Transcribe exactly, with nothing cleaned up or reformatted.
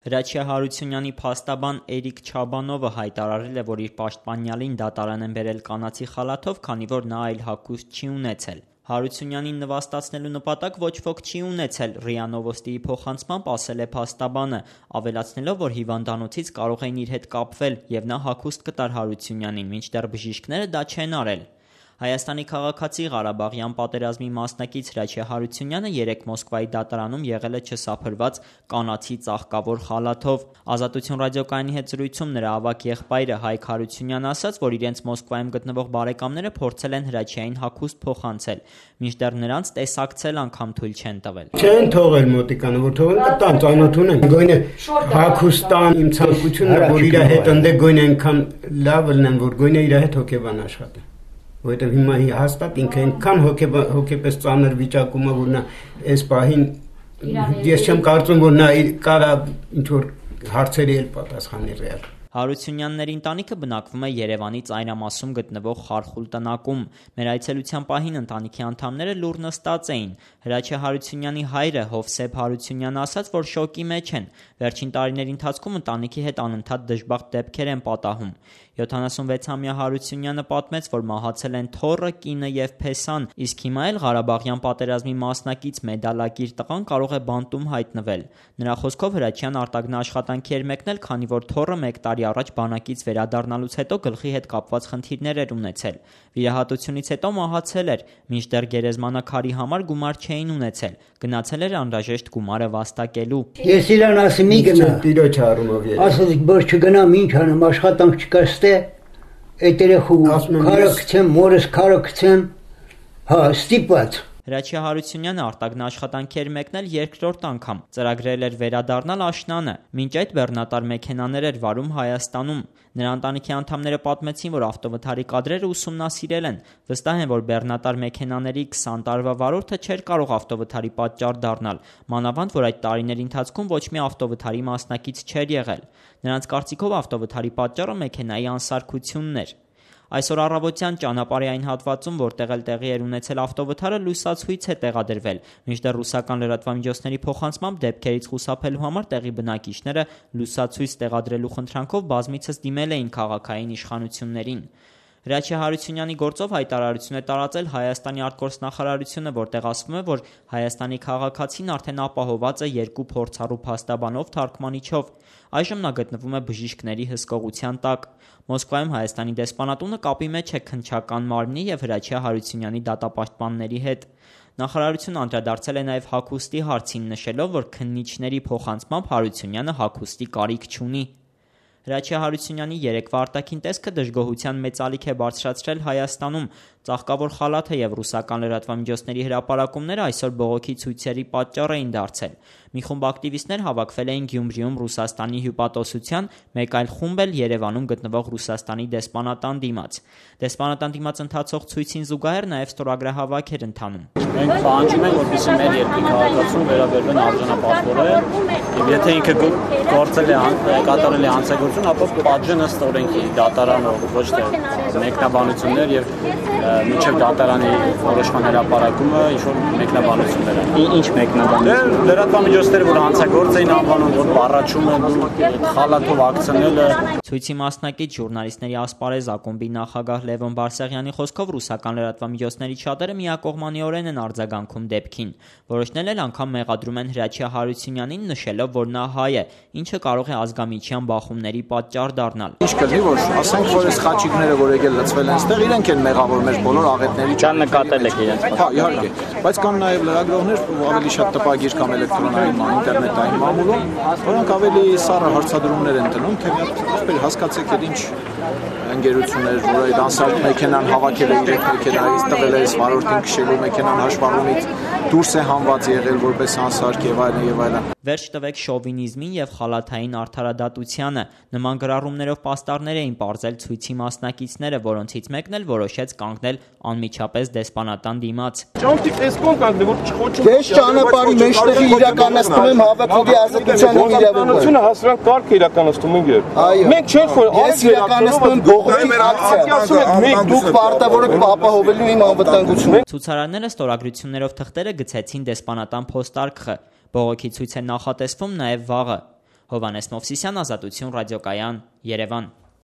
Հրաչյա Հարությունյանի փաստաբան Էրիկ Չաբանովը հայտարարել է, որ իր պաշտպանյալին դատարան են բերել կանացի խալաթով, քանի որ նա այլ հագուստ չի ունեցել։ Հարությունյանին նվաստացնելու նպատակ ոչ ոք չի ունեցել, ՌԻԱ Նովոստիի փոխանցմամբ ասել է փաստաբանը, ավելացնելով, որ հիվանդանոցից կարող էին իր հետ կապվել և նա հագուստ կտար Հարությունյանին, մինչդեռ բժիշկները դա չեն արել։ Հայաստանի քաղաքացի Ղարաբաղյան պատերազմի մասնակից Հրաչյա Հարությունյանը երեկ Մոսկվայի դատարանում եղել է չսափրված կանացի ծաղկավոր խալաթով։ Ազատություն ռադիոկայանի հետ զրույցում նրա ավագ եղբայրը Հայկ Հարությունյանը ասաց, որ իրենց Մոսկվայում գտնվող բարեկամները փորձել են Հրաչյային հագուստ փոխանցել, մինչդեռ նրանց տեսակցել անգամ թույլ չեն տվել։ Չեն թողել մոտիկանը, որ թողել կտան, ծանոթ ունեն, գույնը հագուստան իմ ցանկությունն է, որ իր հետ ընդե գույնը այնքան լավ լինեն, որ գույնը իր հետ հոգեբան աշխատի։ Որտեղ հիմա հաստատ ինքը այնքան հոգեպես ծանր վիճակում է, որ նա այս պահին ես չեմ կարծում, որ նա կարա ինչ-որ հարցերի էլ պատասխանի ռեալ։ Հարությունյանների ընտանիքը բնակվում է Երևանի ծայրամասում գտնվող Խարխուլ տնակում։ Մեր այցելության պահին ընտանիքի անդամները լուռ նստած էին։ Հրաչյա Հարությունյանի հայրը Հովսեփ Հարությունյանը ասաց, որ շոկի մեջ են։ Վերջին տարիների ընթացքում ընտանիքի հետ անընդհատ դժբախտ դեպքեր են պատահում։ յոթանասունվեցամյա Հարությունյանը պատմեց, որ մահացել են թոռը, կինը և փեսան, իսկ հիմա էլ Ղարաբաղյան պատերազմի մասնակից մեդալակիր տղան կարող է բանտում հայտնվել։ Նրա խոսքով Հրաչյան արտագնա աշխատանքի էր մեկնել, քանի որ թոռը մեկ տարի առաջ բանակից վերադառնալուց հետո գլխի հետ կապված խնդիրներ էր ունեցել։ Վիրահատությունից հետո մահացել էր, մինչդեռ գերեզմանակարի համար գումար չէին ունեցել, գնացել էր անհրաժեշտ գումարը վաստակելու։ Ես իրան ասեմ՝ մի գնա, տիրոջ առումով ես։ Ասած որ չգնամ, ինչ անեմ, աշխատանք չկա ստե, այդ երեխու քարը գցեմ, մորս քարը գցեմ, հա, ստիպված։ Հրաչյա Հարությունյանը արտագնա աշխատանքի էր մեկնել երկրորդ անգամ, ծրագրել էր վերադառնալ աշնանը, մինչ այդ բեռնատար մեքենաներ էր վարում Հայաստանում։ Նրա ընտանիքի անդամները պատմեցին, որ ավտովթարի կադրերը ուսումնասիրել են, վստահ են, որ բեռնատար մեքենաների քսան տարվա վարորդը չէր կարող ավտովթարի պատճառ դառնալ, մանավանդ որ այդ տարիների ընթացքում ոչ մի ավտովթարի մասնակից չէր եղել։ Նրանց կարծիքով ավտովթարի պատճառը մեքենայի անսարքությունն էր։ Այսօր առավոտյան ճանապարհի այն հատվածում, որտեղ էլ տեղի էր ունեցել ավտովթարը, լույսացույց է տեղադրվել, մինչդեռ ռուսական լրատվամիջոցների փոխանցմամբ դեպքերից խուսափելու համար տեղի բնակիչները լույսացույց տեղադրելու խնդրանքով բազմիցս դիմել էին քաղաքային իշխանություններին։ Հրաչյա Հարությունյանի գործով հայտարարություն է տարածել Հայաստանի արտգործնախարարությունը, որտեղ ասվում է, որ Հայաստանի քաղաքացին արդեն ապահոված է երկու փորձառու փաստաբանով թարգմանիչով։ Այժմ նա գտնվում է բժիշկների հսկողության տակ։ Մոսկվայում Հայաստանի դեսպանատունը կապի մեջ է քննչական մարմնի և Հրաչյա Հարությունյանի դատապաշտպանների հետ։ Նախարարությունը անդրադարձել է նաև հագուստի հարցին, նշելով, որ քննիչների փոխանցմամբ Հարությունյանը հագուստի կարիք չունի։ Հրաչյա Հարությունյանի երեկվա արտաքին տեսքը դժգոհության մեծ ալիք է բարձրացրել Հայաստանում։ Ծաղկավոր խալաթը և ռուսական լրատվամիջոցների հրապարակումները այսօր բողոքի ցույցերի պատճառ էին դարձել։ Մի խումբ ակտիվիստներ հավաքվել էին Գյումրիում Ռուսաստանի հյուպատոսության, մեկ այլ խումբ էլ Երևանում գտնվող Ռուսաստանի դեսպանատան դիմաց։ Դեսպանատան դիմաց ընթացող ցույցին զուգահեռ նաև ստորագրահավաք էր ընթանում։ Մենք պահանջում ենք, որպեսզի մեր երկրի քաղաքացուն վերաբերվեն արժանապատվորեն, եւ եթե ինքը գործել է կատարել է հանցագործություն, ապա պատժեն ըստ օրենքի դատարանով, ոչ թե մեկնաբանություններ եւ մինչեւ դատարանի որոշման հրապարակումը ինչ-որ մեկնաբանություններ են։ Ինչ մեկնաբանություններ։ Լրատվամիջոցները, որ հանցագործ էին անվանում, որ առաջում են խալաթով ակցիաները։ Ցույցի մասնակից ժուրնալիստների ասպարեզ ակումբի նախագահ Լևոն Բարսեղյանի խոսքով ռուսական լրատվամիջոցների շատերը միակողմանիորեն են արձագանքում դեպքին։ Որոշներ էլ անգամ մեղադրում են Հրաչյա Հարությունյանին, նշելով, որ նա հայ է, ինչը կարող է ազգամիջյան բախումների պատճառ դառնալ։ Ինչ կլինի, որ ասենք, որ այս խաչիկները, որ եկել լցվել են այստեղ, իրենք են մեղավոր մեր բոլոր աղետների ճան նկատել եք իրենց։ Հա, իհարկե, բայց կան նաև լրագրողներ, ավելի շատ տպագիր կամ էլեկտրոնային, ինտերնետային մամուլում, որոնք ավելի սառը հարցադրումներ են տնում, թե ինչպես հասկացեք, այդ ինչ ընկերություններ, որ այդ անսարք մեքենան հավաքել է իրենք մեքենայից, տվել է այս վարորդին քշելու մեքենան հաշվառումից դուրս է հանված եղել որպես անսարք եւ այլն եւ այլն։ Վերջ տվեք շովինիզմին եւ խալաթային արդարադատությանը։ Նման գրառումներով պաստառներ էին պարզել ցույցի մասնակիցները, որոնցից մեկն էլ որոշեց կանգնել անմիջապես դեսպանատան դիմաց։ Ճանքի տեսքով կանգնել, որ չխոչում։ Ես ճանապարհի մեջտեղի իրականացնում եմ հավաքողի ազատության իրավունքը։ Հասարակ կարգ իրականացնում ենք։ Մենք չենք որ ես իրականացնում եմ բողոքի ակցիա։ Մենք դուք պարտավոր եք ապահովելու իմ անվտանգությունը։ Ցուցարարները ստորագրություններով թղթերը գցեցին դեսպանատան փոստարկղը։ Բողոքի ցույց է նախատեսվում նաև վաղը։ Հովհաննես Մովսիսյան, Ազատություն ռադիոկայան, Երևան։